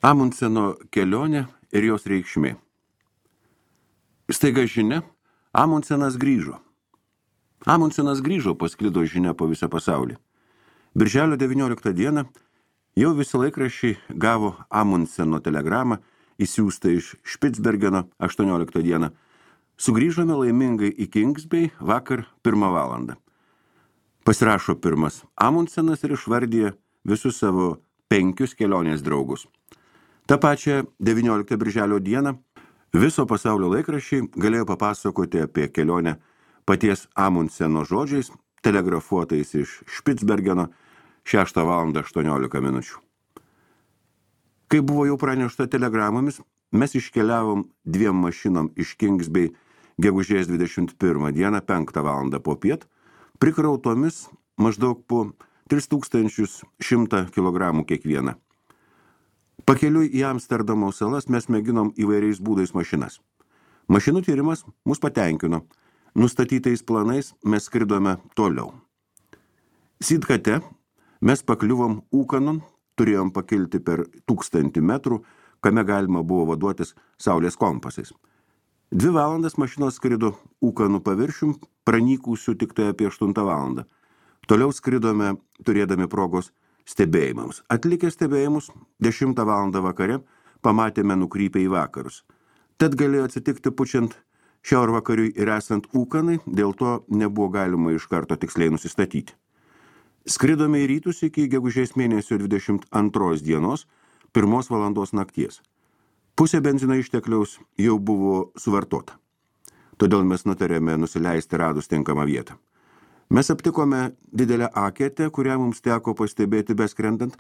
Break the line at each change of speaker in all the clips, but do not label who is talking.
Amundseno kelionė ir jos reikšmė. Staiga žinia, Amundsenas grįžo. Amundsenas grįžo, pasklido žinia po visą pasaulį. Birželio 19 dieną jau visi laikraščiai gavo Amundseno telegramą, įsiųstą iš Špicbergeno 18 dieną. Sugrįžome laimingai į Kingsbay vakar 1 valandą. Pasirašo pirmas Amundsenas ir išvardyja visus savo 5 kelionės draugus. Ta pačia 19 birželio dieną viso pasaulio laikraščiai galėjo papasakoti apie kelionę paties Amundseno žodžiais, telegrafuotais iš Špicbergeno 6 valandą 18 minučių. Kai buvo jau pranešta telegramomis, mes iškeliavom 2 mašinom iš Kingsbay gegužės 21 dieną 5 valandą popiet, prikrautomis maždaug po 3100 kg kiekvieną. Pakeliui į Amsterdamo salas mes mėginom įvairiais būdais mašinas. Mašinų tyrimas mus patenkino. Nustatytais planais mes skridome toliau. Sidkate mes pakliuvom Ūkanon, turėjom pakilti per 1000 metrų, kame galima buvo vaduotis saulės kompasais. 2 valandas mašinos skrido Ūkanų paviršium, pranykusių tik tai apie 8 valandą. Toliau skridome, turėdami progos stebėjimams. Atlikę stebėjimus 10 valandą vakare pamatėme nukrypę į vakarus. Tad galėjo atsitikti pučiant šiaurvakariui ir esant Ūkanai, dėl to nebuvo galima iš karto tiksliai nusistatyti. Skridome į rytus iki gegužės mėnesio 22 dienos 1 valandos nakties. Pusė benzino ištekliaus jau buvo suvartota. Todėl mes nutarėme nusileisti radus tinkamą vietą. Mes aptikome didelę aketę, kurią mums teko pastebėti beskrendant.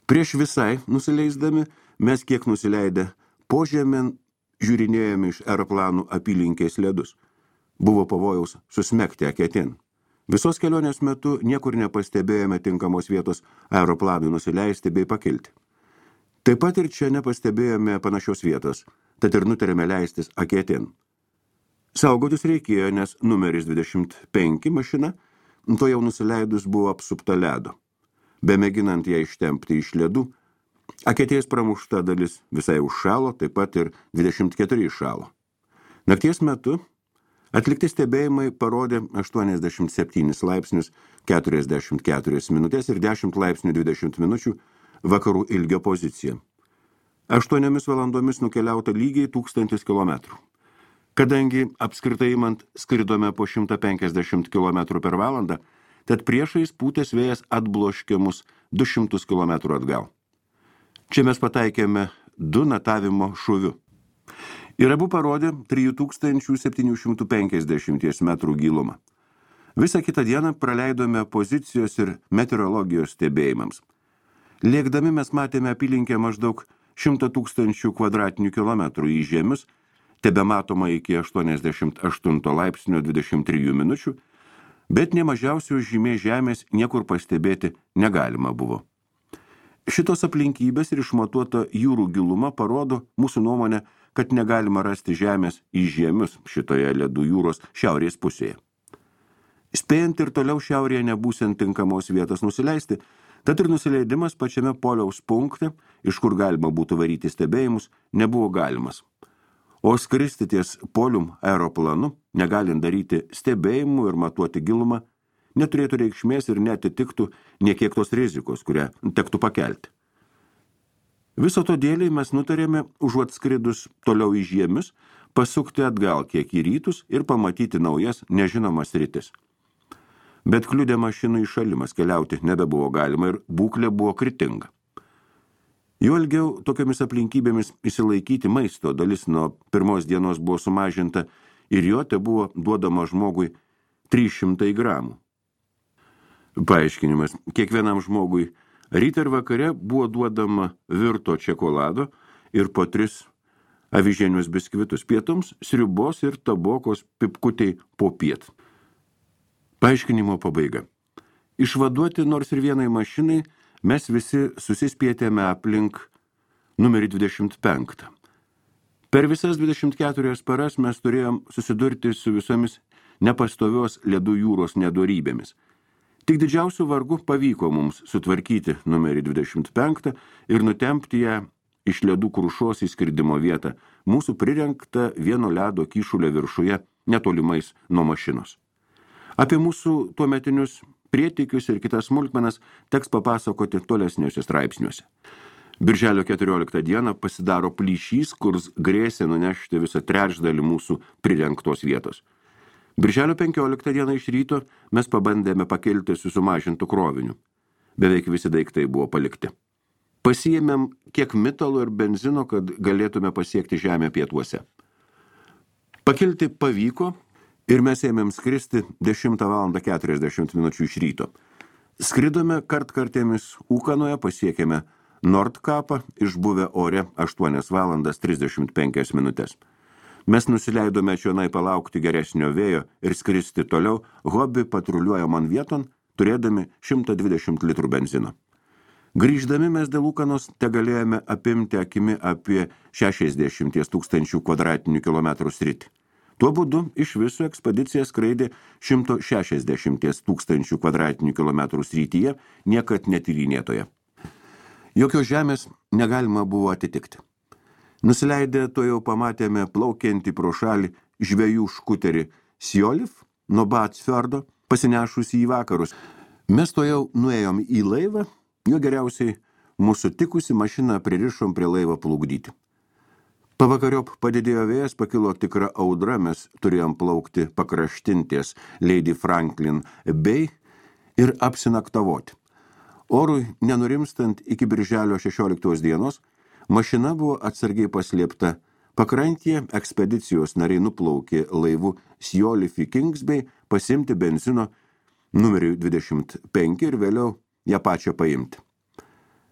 Prieš visai nusileisdami, mes kiek nusileidę požemėn žiūrinėjome iš aeroplanų apylinkės ledus. Buvo pavojaus susmegti aketėn. Visos kelionės metu niekur nepastebėjome tinkamos vietos aeroplanui nusileisti bei pakilti. Taip pat ir čia nepastebėjome panašios vietos, tad ir nutarėme leistis aketėn. Saugotis reikėjo, nes numeris 25 mašina, to jau nusileidus buvo apsupta ledo. Bemėginant ją ištempti iš ledų, aketės pramušta dalis visai užšalo, taip pat ir 24 iššalo. Nakties metu atlikti stebėjimai parodė 87 laipsnius 44 minutės ir 10 laipsnių 20 minučių vakarų ilgio poziciją. 8 valandomis nukeliauta lygiai 1000 km. Kadangi apskritai imant skridome po 150 km per valandą, tad priešais pūtės vėjas atbloškė mus 200 km atgal. Čia mes pataikėme 2 natavimo šūviu. Ir abu parodė 3750 metrų gilumą. Visą kitą dieną praleidome pozicijos ir meteorologijos stebėjimams. Lėkdami mes matėme apylinkę maždaug 100 000 kvadratinių kilometrų į žemius, tebematoma iki 88 laipsnio 23 minučių, bet nemažiausios žymės žemės niekur pastebėti negalima buvo. Šitos aplinkybės ir išmatuota jūrų giluma parodo mūsų nuomonę, kad negalima rasti žemės į žemius šitoje ledų jūros šiaurės pusėje. Spėjant ir toliau šiaurėje nebūsiant tinkamos vietos nusileisti, tad ir nusileidimas pačiame poliaus punkte, iš kur galima būtų varyti stebėjimus, nebuvo galimas. O skristi ties polium aeroplanu, negalint daryti stebėjimų ir matuoti gilumą, neturėtų reikšmės ir netitiktų niekiek tos rizikos, kurią tektų pakelti. Viso to dėliai mes nutarėme, užuot skridus toliau į žiemis, pasukti atgal kiek į rytus ir pamatyti naujas nežinomas sritis. Bet kliudė mašinų įšalimas, keliauti nebebuvo galima ir būklė buvo kritinga. Jau ilgiau tokiamis aplinkybėmis išsilaikyti maisto dalis nuo 1 dienos buvo sumažinta ir jo te buvo duodama žmogui 300 gramų. Paaiškinimas, kiekvienam žmogui rytą ir vakare buvo duodama virto čekolado ir po 3 avižinius biskvitus pietums, sriubos ir tabokos pipkutei popiet. Paaiškinimo pabaiga. Išvaduoti nors ir vienai mašinai mes visi susispietėme aplink numerį 25. Per visas 24 paras mes turėjom susidurti su visomis nepastovios ledų jūros nedorybėmis. Tik didžiausių vargų pavyko mums sutvarkyti numerį 25 ir nutempti ją iš ledų krušos į skridimo vietą, mūsų prirengta vieno ledo kyšulio viršuje netolimais nuo mašinos. Apie mūsų tuometinius prietikius ir kitas smulkmenas teks papasakoti tolesniuose straipsniuose. Birželio 14 dieną pasidaro plyšys, kurs grėsė nunešti visą trečdalį mūsų prirengtos vietos. Birželio 15 dieną iš ryto mes pabandėme pakelti su sumažintu kroviniu. Beveik visi daiktai buvo palikti. Pasiėmėm kiek mitalo ir benzino, kad galėtume pasiekti žemę pietuose. Pakilti pavyko ir mes ėmėm skristi 10:40 iš ryto. Skridome kartkartėmis Ūkanoje, pasiekėme Nordkapą, išbuvę ore 8:35. Mes nusileidome čionai palaukti geresnio vėjo ir skristi toliau, hobi patruliuoja man vieton, turėdami 120 litrų benzino. Grįždami mes dėl Ūkanos te galėjome apimti akimi apie 60 000 kvadratinių kilometrų sritį. Tuo būdu iš viso ekspedicija skraidė 160 000 kvadratinių kilometrų srityje, niekad netyrinėtoje. Jokios žemės negalima buvo atitikti. Nusileidę to jau pamatėme plaukiantį pro šalį žvejų škuterį Sjolif nuo Batsfjordo, pasinešusį į vakarus. Mes to jau nuėjom į laivą, jo geriausiai mūsų tikusi mašiną pririšom prie laivą plukdyti. Pavakariop padidėjo vėjas, pakilo tikra audra, mes turėjom plaukti pakraštinties Lady Franklin Bay ir apsinaktavoti. Orui nenurimstant iki birželio 16 dienos, mašina buvo atsargiai paslėpta. Pakrantėje ekspedicijos nariai nuplaukė laivu Sjolif į Kings Bay pasimti benzino numeriu 25 ir vėliau ją pačią paimti.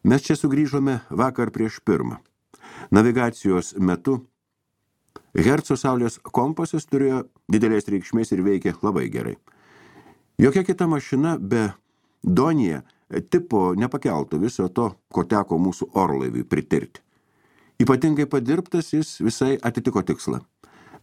Mes čia sugrįžome vakar prieš 1. Navigacijos metu Herco saulės kompasas turėjo didelės reikšmės ir veikė labai gerai. Jokia kita mašina be Donija tipo nepakeltų viso to, ko teko mūsų orlaiviui pritirti. Ypatingai padirbtas jis visai atitiko tikslą.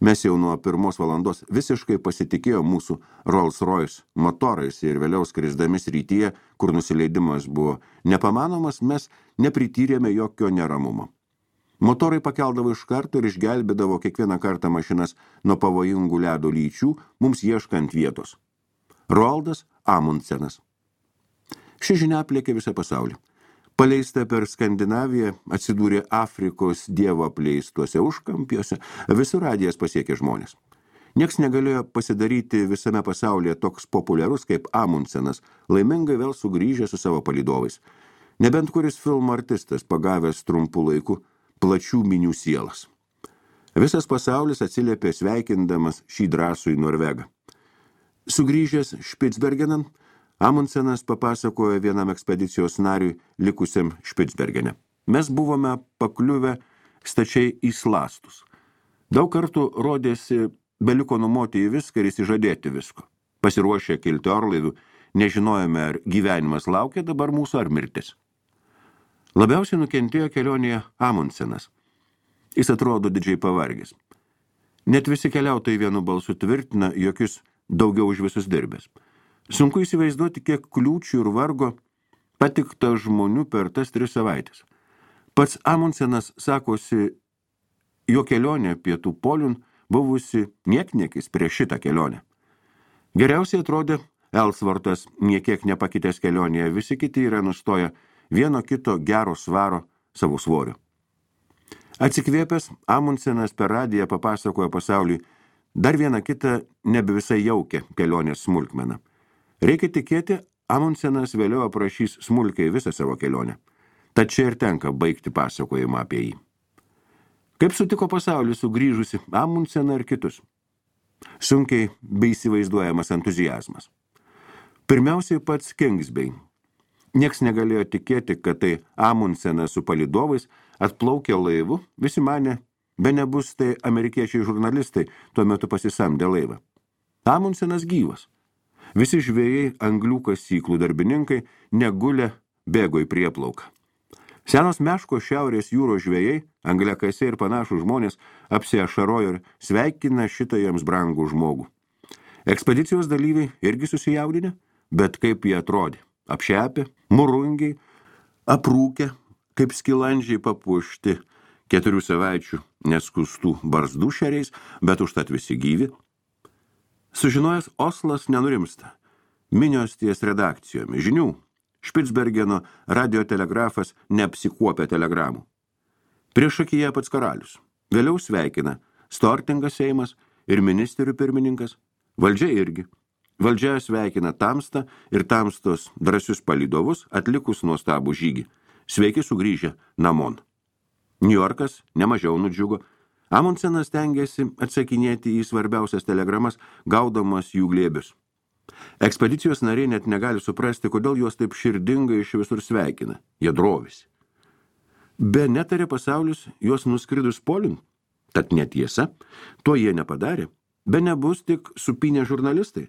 Mes jau nuo 1 valandos visiškai pasitikėjo mūsų Rolls-Royce motorais ir vėliau skrisdami srityje, kur nusileidimas buvo nepamanomas, mes neprityrėme jokio neramumo. Motorai pakeldavo iš karto ir išgelbėdavo kiekvieną kartą mašinas nuo pavojingų ledo lyčių, mums ieškant vietos. Roaldas Amundsenas. Ši žinia aplėkė visą pasaulį. Paleista per Skandinaviją, atsidūrė Afrikos dievo apleistuose užkampiuose, visur radijas pasiekė žmonės. Nieks negalėjo pasidaryti visame pasaulyje toks populiarus kaip Amundsenas, laimingai vėl sugrįžę su savo palydovais. Nebent kuris filmo artistas pagavęs trumpų laikų plačių minių sielas. Visas pasaulis atsiliepė sveikindamas šį drąsų į Norvegą. Sugrįžęs Špicbergenan, Amundsenas papasakojo vienam ekspedicijos nariui likusiam Špicbergene. Mes buvome pakliuvę stačiai į slastus. Daug kartų rodėsi beliko numoti į viską ir įsižadėti visko. Pasiruošę kilti orlaivių, nežinojome, ar gyvenimas laukia dabar mūsų ar mirtis. Labiausiai nukentėjo kelionėje Amundsenas. Jis atrodo didžiai pavargęs. Net visi keliautojai vienu balsu tvirtina, jog jis daugiau už visus dirbęs. Sunku įsivaizduoti, kiek kliūčių ir vargo patikta žmonių per tas 3 savaitės. Pats Amundsenas sakosi, jo kelionė pietų poliun buvusi niekniekis prieš šitą kelionę. Geriausiai atrodė Elsvortas, niekiek nepakitęs kelionėje, visi kiti yra nustoję vieno kito gero svaro savo svoriu. Atsikvėpęs, Amundsenas per radiją papasakojo pasauliui dar vieną kitą nebe visai jaukę kelionės smulkmeną. Reikia tikėti, Amundsenas vėliau aprašys smulkiai visą savo kelionę. Tad čia ir tenka baigti pasakojimą apie jį. Kaip sutiko pasaulį sugrįžusi Amundseną ir kitus? Sunkiai bei įsivaizduojamas entuziazmas. Pirmiausiai pats Kings Bay. Nieks negalėjo tikėti, kad tai Amundsenas su palydovais atplaukė laivu, visi manė, be nebus tai amerikiečiai žurnalistai tuo metu pasisamdė laivą. Amundsenas gyvas. Visi žvejai, anglių kasyklų darbininkai negulė bėgo į prieplauką. Senos meško šiaurės jūros žvejai, angliakasiai ir panašų žmonės apsiašarojo ir sveikina šitą jiems brangų žmogų. Ekspedicijos dalyviai irgi susijaudinę, bet kaip jie atrodė. Apšepę, murungiai, aprūkę, kaip skilandžiai papuošti 4 savaičių neskustų barzdų šeriais, bet užtat visi gyvi. Sužinojęs Oslas nenurimsta. Minios ties redakcijomis. Žinių. Špicbergeno radiotelegrafas neapsikuopia telegramų. Priešakyje pats karalius. Vėliau sveikina Stortingas Seimas ir ministerių pirmininkas. Valdžia irgi. Valdžia sveikina Tamstą ir Tamstos drąsius palydovus atlikus nuostabų žygį. Sveiki sugrįžę namon. Niujorkas nemažiau nudžiugo. Amundsenas stengiasi atsakinėti į svarbiausias telegramas, gaudamas jų glėbius. Ekspedicijos nariai net negali suprasti, kodėl juos taip širdingai iš visur sveikina. Jie drovisi. Be netarė pasaulis juos nuskridus polin. Tad netiesa, to jie nepadarė. Be nebus tik supinę žurnalistai.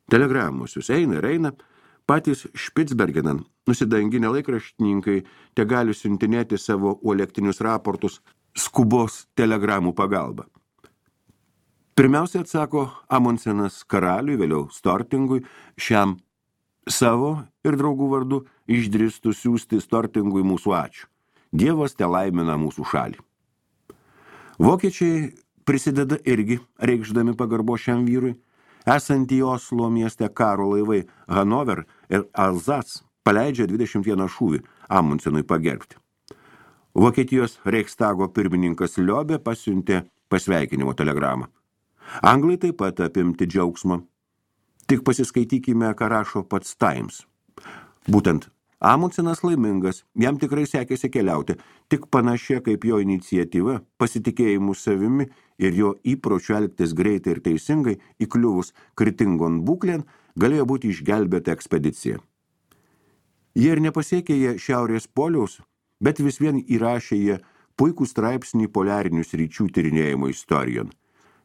Telegramusius eina ir eina. Patys Špicbergenan, nusidanginę laikraštininkai, te gali siuntinėti savo uolektinius raportus skubos telegramų pagalba. Pirmiausia atsako Amundsenas karaliui, vėliau Stortingui, šiam savo ir draugų vardu išdrįstų siųsti Stortingui mūsų ačiū. Dievas te laimina mūsų šalį. Vokiečiai prisideda irgi, reikšdami pagarbo šiam vyrui. Esantį Oslo mieste karo laivai Hanover ir Alsace paleidžia 21 šūvį Amundsenui pagerbti. Vokietijos Reichstago pirmininkas Liobė pasiuntė pasveikinimo telegramą. Anglai taip pat apimti džiaugsmo. Tik pasiskaitykime, ką rašo pats Times. Būtent Amundsenas laimingas, jam tikrai sekėsi keliauti, tik panašia kaip jo iniciatyva, pasitikėjimu savimi ir jo įpročiu elgtis greitai ir teisingai, įkliuvus kritingon būklėn, galėjo būti išgelbėta ekspedicija. Jie ir nepasiekė jie šiaurės poliaus, bet vis vien įrašė jie puikų straipsnį poliarinių sričių tyrinėjimo istorijon.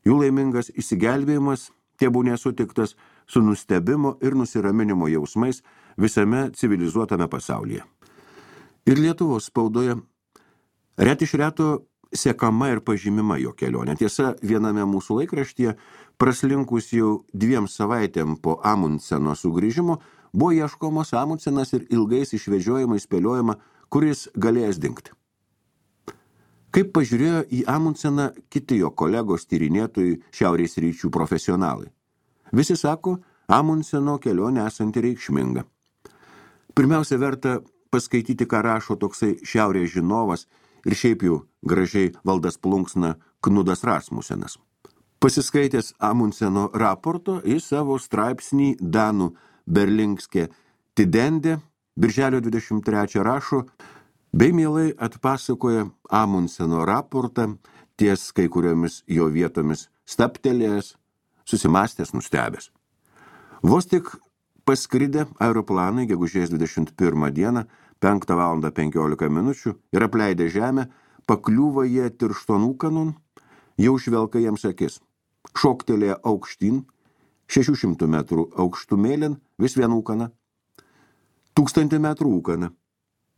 Jų laimingas įsigelbėjimas tebūnė sutiktas su nustebimo ir nusiraminimo jausmais visame civilizuotame pasaulyje. Ir Lietuvos spaudoje ret iš reto sekama ir pažymima jo kelionė. Tiesa, viename mūsų laikraštyje, praslinkus jau 2 savaitėm po Amundseno sugrįžimo, buvo ieškomas Amundsenas ir ilgais išvežiojimais spėliojama, kuris galėjęs dingti. Kaip pažiūrėjo į Amundseną kiti jo kolegos tyrinėtojai šiaurės ryčių profesionalai. Visi sako, Amundseno kelionė esanti reikšminga. Pirmiausia, verta paskaityti, ką rašo toksai šiaurės žinovas ir šiaip jau gražiai valdas plunksna Knudas Rasmusenas. Pasiskaitęs Amundseno raporto į savo straipsnį Danų Berlingske Tidende, birželio 23 rašo, bei mielai atpasakoja Amundseno raportą ties kai kuriomis jo vietomis staptelėjęs, susimastęs, nustebęs. Vos tik paskridę aeroplanai gegužės 21 dieną, 5:15 ir apleidę žemę, pakliūva jie tirštonūkanon, jau žvelka jiems akis. Šoktelėja aukštyn, 600 metrų aukštumėlin, vis vien ūkana. 1000 metrų ūkana.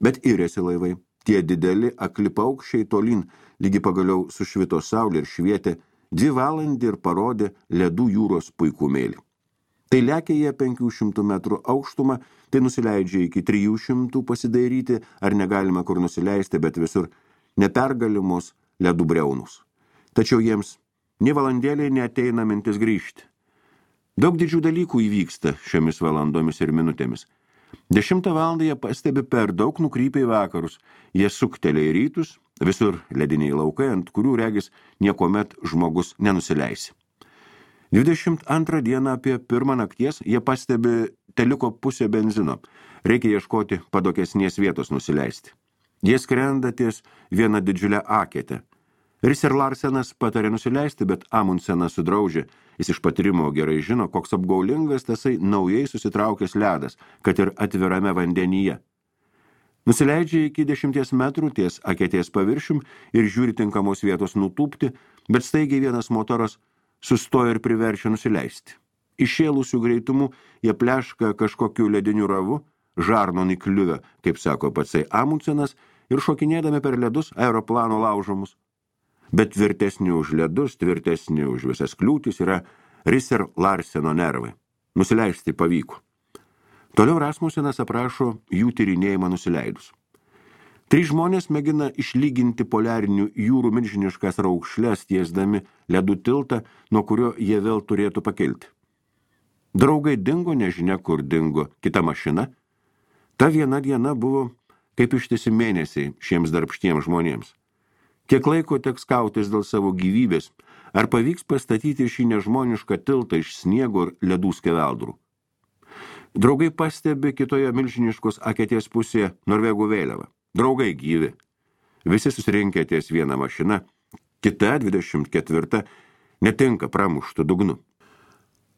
Bet irėsi laivai. Tie dideli akli paukščiai tolyn, lygi pagaliau sušvito saulė ir švietė, 2 valandį ir parodė ledų jūros puikumėlį. Tai lekia jie 500 metrų aukštumą, tai nusileidžia iki 300 pasidairyti, ar negalima kur nusileisti, bet visur nepergalimos ledų briaunus. Tačiau jiems nė valandėliai neateina mintis grįžti. Daug didžių dalykų įvyksta šiomis valandomis ir minutėmis. 10 valandą jie pastebi per daug nukrypę į vakarus, jie suktelia į rytus, visur lediniai laukai, ant kurių regis niekomet žmogus nenusileisi. 22 dieną apie 1 nakties jie pastebi teliko pusę benzino, reikia ieškoti padokesnės vietos nusileisti. Jie skrenda ties vieną didžiulę aketę. Risser Larsenas patarė nusileisti, bet Amundsenas sudraudžia. Jis iš patyrimo gerai žino, koks apgaulingas tasai naujai susitraukęs ledas, kad ir atvirame vandenyje. Nusileidžia iki 10 metrų ties aketės paviršium ir žiūri tinkamos vietos nutūpti, bet staigiai vienas motoras sustoja ir priverčia nusileisti. Išėlusių greitumų jie pleška kažkokiu lediniu ravu, žarnon įkliuvę, kaip sako patsai Amundsenas, ir šokinėdami per ledus aeroplano laužomus. Bet tvirtesni už ledus, tvirtesni už visas kliūtis yra Risser Larseno nervai. Nusileisti pavyko. Toliau Rasmusenas aprašo jų tyrinėjimą nusileidus. 3 žmonės mėgina išlyginti poliarinių jūrų milžiniškas raukšles tiesdami ledų tiltą, nuo kurio jie vėl turėtų pakilti. Draugai dingo, nežinia kur dingo kita mašina. Ta viena diena buvo kaip ištisi mėnesiai šiems darbštiems žmonėms. Kiek laiko teks kautis dėl savo gyvybės, ar pavyks pastatyti šį nežmonišką tiltą iš sniego ir ledų skeveldrų. Draugai pastebi kitoje milžiniškos akėties pusėje Norvegų vėliavą. Draugai gyvi. Visi susirinkę ties vieną mašiną, kita 24 netinka pramuštų dugnu.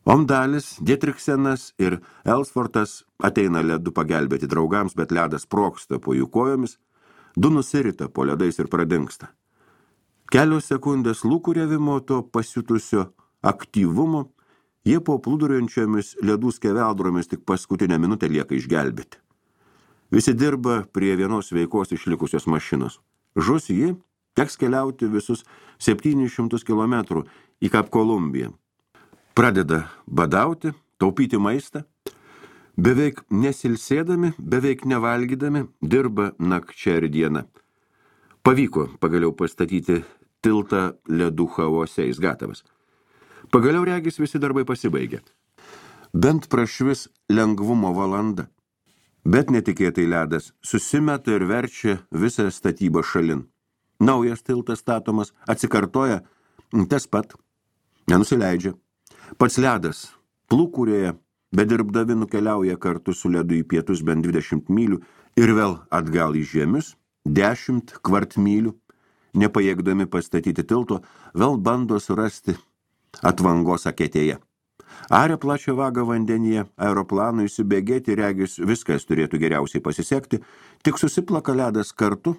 Omdalis, Dietriksenas ir Elsfortas ateina ledu pagelbėti draugams, bet ledas sprogsta po jų kojomis, 2 nusirita po ledais ir pradingsta. Kelios sekundės lūkuriavimo to pasiutusio aktyvumo, jie po plūduriuojančiomis ledų skeveldromis tik paskutinę minutę lieka išgelbėti. Visi dirba prie vienos veikos išlikusios mašinos. Žus ji, teks keliauti visus 700 kilometrų į Kap Kolumbiją. Pradeda badauti, taupyti maistą. Beveik nesilsėdami, beveik nevalgydami, dirba nakčia ir dieną. Pavyko pagaliau pastatyti tiltą ledų chaose, jis gatavas. Pagaliau regis visi darbai pasibaigė. Bent prašvis lengvumo valanda. Bet netikėtai ledas susimeta ir verčia visą statybą šalin. Naujas tiltas statomas, atsikartoja, tas pat, nenusileidžia. Pats ledas plūkurėje, bedirbdami nukeliauja kartu su ledu į pietus bent 20 mylių ir vėl atgal į žiemius, 10 kvartmylių, nepajėgdami pastatyti tilto, vėl bando surasti atvangos akėtėje. Aria plačią vagą vandenyje, aeroplanui įsibėgėti, regis viskas turėtų geriausiai pasisekti, tik susiplaka ledas kartu,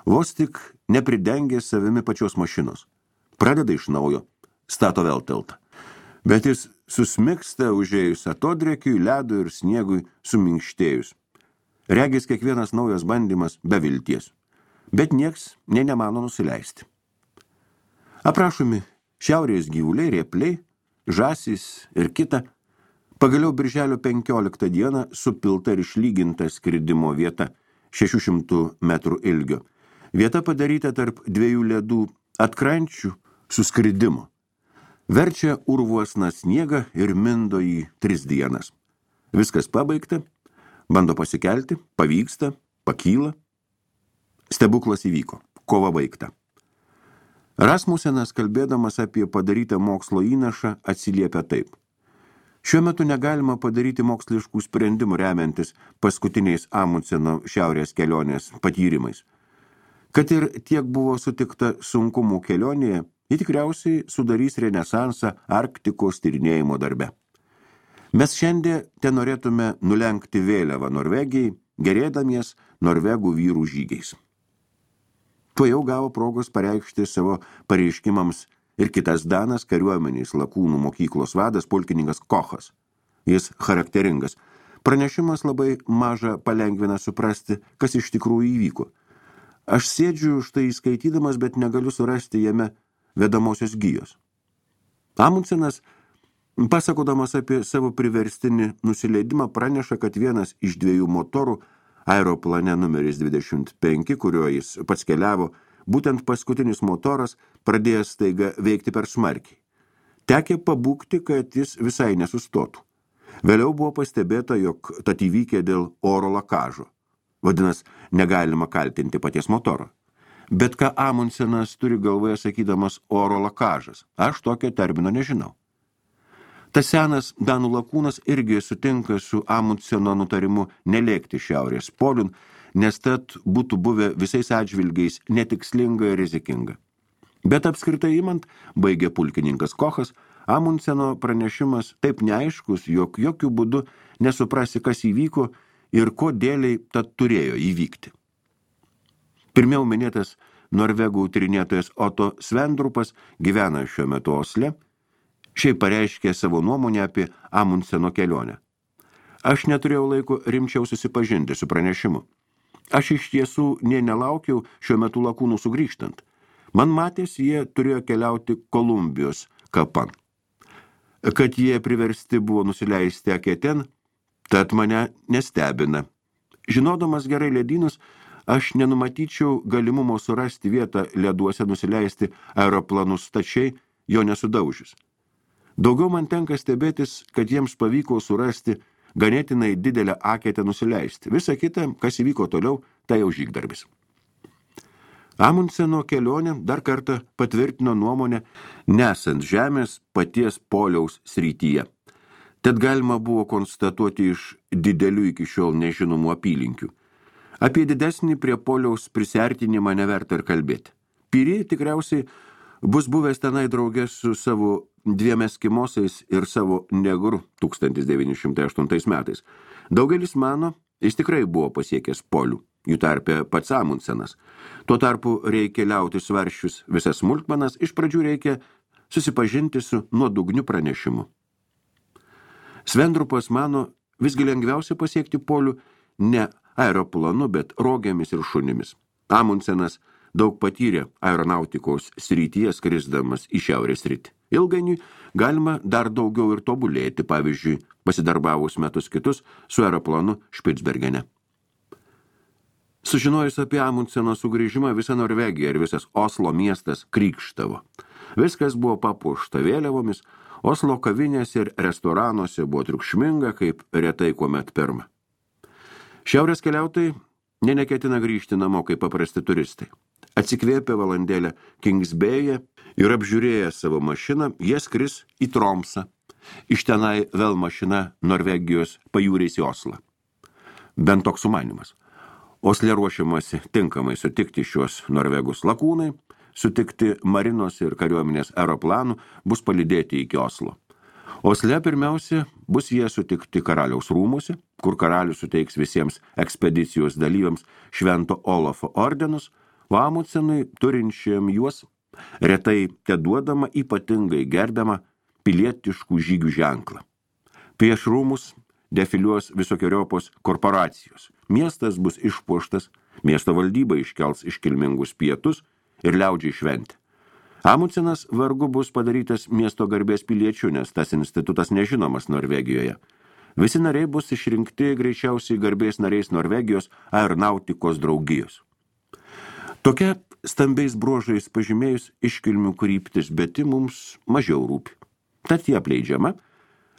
vos tik nepridengė savimi pačios mašinos. Pradeda iš naujo, stato vėl tiltą. Bet jis susmigsta užėjus atodrėkiui, ledui ir sniegui suminkštėjus. Regis kiekvienas naujas bandymas be vilties. Bet nieks nemano nusileisti. Aprašomi šiaurės gyvuliai, rėpliai, žąsys ir kita, pagaliau birželio 15 dieną supilta ir išlyginta skridimo vieta 600 metrų ilgio. Vieta padaryta tarp 2 ledų atkrančių suskridimo. Verčia urvuosną sniegą ir mindo į 3 dienas. Viskas pabaigta, bando pasikelti, pavyksta, pakyla. Stebuklas įvyko, kova baigta. Rasmusenas, kalbėdamas apie padarytą mokslo įnašą, atsiliepia taip. Šiuo metu negalima padaryti moksliškų sprendimų remiantis paskutiniais Amundseno šiaurės kelionės patyrimais. Kad ir tiek buvo sutikta sunkumų kelionėje, ji tikriausiai sudarys renesansą Arktikos tyrinėjimo darbe. Mes šiandien te norėtume nulenkti vėliavą Norvegijai, gerėdamies norvegų vyrų žygiais. Tuo jau gavo progos pareikšti savo pareiškimams ir kitas danas kariuomenės lakūnų mokyklos vadas pulkininkas Kochas. Jis charakteringas. Pranešimas labai maža palengvina suprasti, kas iš tikrųjų įvyko. Aš sėdžiu štai skaitydamas, bet negaliu surasti jame vedamosios gijos. Amundsenas, pasakodamas apie savo priverstinį nusileidimą, praneša, kad vienas iš 2 motorų aeroplane numeris 25, kuriuo jis pats keliavo, būtent paskutinis motoras pradėjęs staiga veikti per smarkiai. Tekė pabūgti, kad jis visai nesustotų. Vėliau buvo pastebėta, jog tad įvykė dėl oro lakažo. Vadinas, negalima kaltinti paties motoro. Bet ką Amundsenas turi galvoje sakydamas oro lakažas? Aš tokio termino nežinau. Tas senas danų lakūnas irgi sutinka su Amundseno nutarimu nelėkti šiaurės poliun, nes tad būtų buvę visais atžvilgiais netikslinga ir rizikinga. Bet apskritai imant, baigė pulkininkas Kochas, Amundseno pranešimas taip neaiškus, jog jokių būdų nesuprasi, kas įvyko ir kodėliai tad turėjo įvykti. Pirmiau minėtas norvegų tyrinėtojas Otto Svendrupas gyvena šiuo metu Osle, šiaip pareiškė savo nuomonę apie Amundseno kelionę. Aš neturėjau laiko rimčiau susipažinti su pranešimu. Aš iš tiesų nelaukiau šiuo metu lakūnų sugrįžtant. Man matės, jie turėjo keliauti Kolumbijos kapan. Kad jie priversti buvo nusileisti akėten, tad mane nestebina. Žinodamas gerai ledynus, aš nenumatyčiau galimumo surasti vietą leduose nusileisti aeroplanus stačiai, jo nesudaužius. Daugiau man tenka stebėtis, kad jiems pavyko surasti ganėtinai didelę aketę nusileisti. Visa kita, kas įvyko toliau, tai jau žygdarbis. Amundseno kelionė dar kartą patvirtino nuomonę nesant žemės paties poliaus srityje. Tad galima buvo konstatuoti iš didelių iki šiol nežinomų apylinkių. Apie didesnį prie poliaus prisiartinimą neverta ir kalbėti. Piri tikriausiai bus buvęs tenai drauge su savo 2 eskimosais ir savo negru 1908 metais. Daugelis mano, jis tikrai buvo pasiekęs polių, jų tarpe pats Amundsenas. Tuo tarpu reikia liauti svaršius visas smulkmenas, iš pradžių reikia susipažinti su nuodugniu pranešimu. Svendrupas mano, visgi lengviausia pasiekti polių ne aeroplanu, bet rogėmis ir šunimis. Amundsenas daug patyrė aeronautikos srityje skrisdamas į šiaurės rytį. Ilgainiui galima dar daugiau ir tobulėti, pavyzdžiui, pasidarbavus metus kitus su aeroplanu Špicbergene. Sužinojus apie Amundseno sugrįžimą, visa Norvegija ir visas Oslo miestas krykštavo. Viskas buvo papuošta vėliavomis, Oslo kavinėse ir restoranuose buvo triukšminga, kaip retai kuomet pirma. Šiaurės keliautojai neketina grįžti namo kaip paprasti turistai. Atsikvėpę valandėlę Kingsbėje ir apžiūrėję savo mašiną, jie skris į Tromsą. Iš tenai vėl mašina Norvegijos pajūriais į Oslą. Bent toks sumanymas. Osle ruošiamasi tinkamai sutikti šios norvegus lakūnai, sutikti marinos ir kariuomenės aeroplanų, bus palydėti iki Oslo. Osle pirmiausia bus jie sutikti karaliaus rūmuose, kur karalius suteiks visiems ekspedicijos dalyviams Švento Olafo ordenus, o Amundsenui turinčiam juos retai teduodama ypatingai gerbiamą pilietiškų žygių ženklą. Prieš rūmus defiliuos visokioriopos korporacijos. Miestas bus išpuoštas, miesto valdyba iškels iškilmingus pietus ir liaudžiai šventė. Amundsenas vargu bus padarytas miesto garbės piliečių, nes tas institutas nežinomas Norvegijoje. Visi nariai bus išrinkti greičiausiai garbės nariais Norvegijos aeronautikos draugijos. Tokia stambiais bruožais pažymėjus iškilmių kryptis, bet mums mažiau rūpi. Tad jie apleidžiama.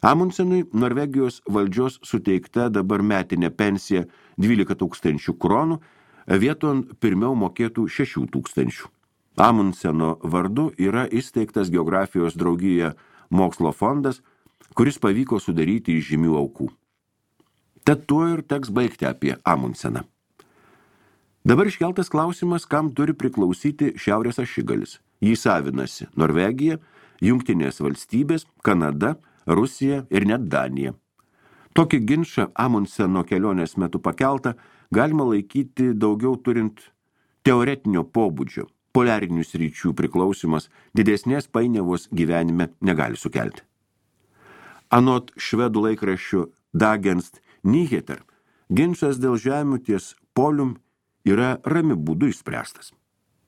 Amundsenui Norvegijos valdžios suteikta dabar metinė pensija 12 000 kronų, vieton pirmiau mokėtų 6 000. Amundseno vardu yra įsteigtas geografijos draugijoje mokslo fondas, kuris pavyko sudaryti iš žymių aukų. Tad tuo ir teks baigti apie Amundseną. Dabar iškeltas klausimas, kam turi priklausyti Šiaurės ašigalis. Jį savinasi Norvegija, Jungtinės valstybės, Kanada, Rusija ir net Danija. Tokį ginčą Amundseno kelionės metu pakeltą galima laikyti daugiau turint teoretinio pobūdžio. Poliarinių sričių priklausimas didesnės painiavos gyvenime negali sukelti. Anot švedų laikraščių Dagens Nyheter, ginčas dėl žemių ties polium yra rami būdu išspręstas.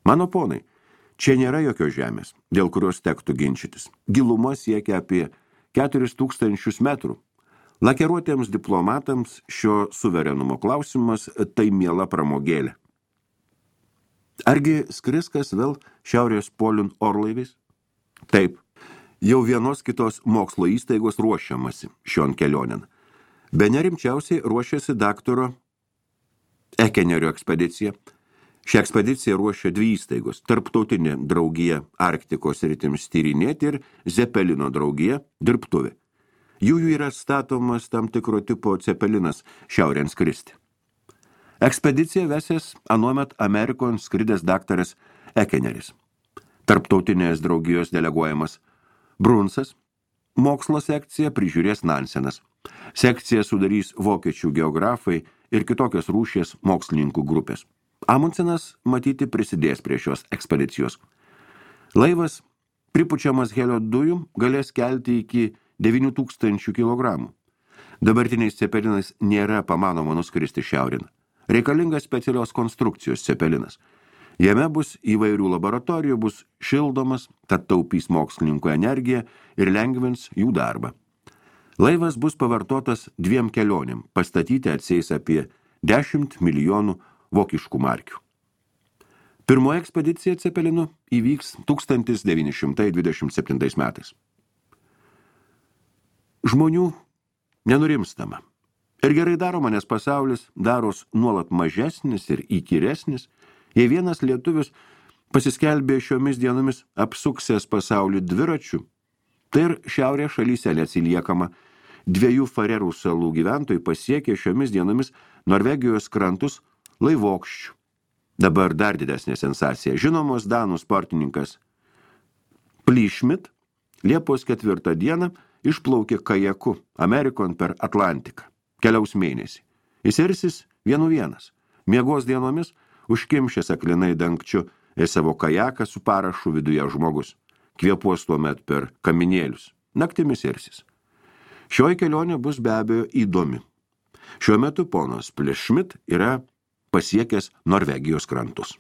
Mano ponai, čia nėra jokios žemės, dėl kurios tektų ginčytis. Giluma siekia apie 4000 metrų. Lakeruotiems diplomatams šio suverenumo klausimas tai miela pramogėlė. Argi skris kas vėl Šiaurės poliun orlaiviais? Taip, jau vienos kitos mokslo įstaigos ruošiamasi šion kelionėn. Bene rimčiausiai ruošiasi daktaro Ekenerio ekspedicija. Šią ekspediciją ruošia 2 įstaigos – Tarptautinė draugija Arktikos sritims tyrinėti ir Zepelino draugija dirbtuvė. Jų yra statomas tam tikro tipo cepelinas šiaurėn skristi. Ekspediciją vesės anuomet Amerikon skridęs daktaras Ekeneris. Tarptautinės draugijos deleguojamas Brunsas. Mokslo sekciją prižiūrės Nansenas. Sekciją sudarys vokiečių geografai ir kitokios rūšies mokslininkų grupės. Amundsenas matyti prisidės prie šios ekspedicijos. Laivas, pripučiamas helio dujų, galės kelti iki 9000 kg. Dabartiniais cepelinais nėra pamanoma nuskristi šiaurin. Reikalingas specialios konstrukcijos cepelinas. Jame bus įvairių laboratorijų, bus šildomas, tad taupys mokslininkų energiją ir lengvins jų darbą. Laivas bus pavartotas 2 kelionėm, pastatyti atsieis apie 10 milijonų vokiškų markių. Pirmoji ekspedicija Cepelinu įvyks 1927 metais. Žmonių nenurimstama. Ir gerai daroma, nes pasaulis daros nuolat mažesnis ir įkyresnis, jei vienas lietuvis pasiskelbė šiomis dienomis apsuksęs pasaulį dviračių, tai ir šiaurės šalyse neatsiliekama. 2 Farerų salų gyventojai pasiekė šiomis dienomis Norvegijos krantus laivokščių. Dabar dar didesnė sensacija. Žinomos danų sportininkas Plyšmit Liepos 4 dieną išplaukė kajaku Amerikon per Atlantiką. Keliaus mėnesį. Jis irsis 1-1. Miegos dienomis užkimšęs aklinai dangčiu į savo kajaką su parašu viduje žmogus. Kvėpuos tuomet per kaminėlius. Naktimis irsis. Šioji kelionė bus be abejo įdomi. Šiuo metu ponas Plyšmit yra pasiekęs Norvegijos krantus.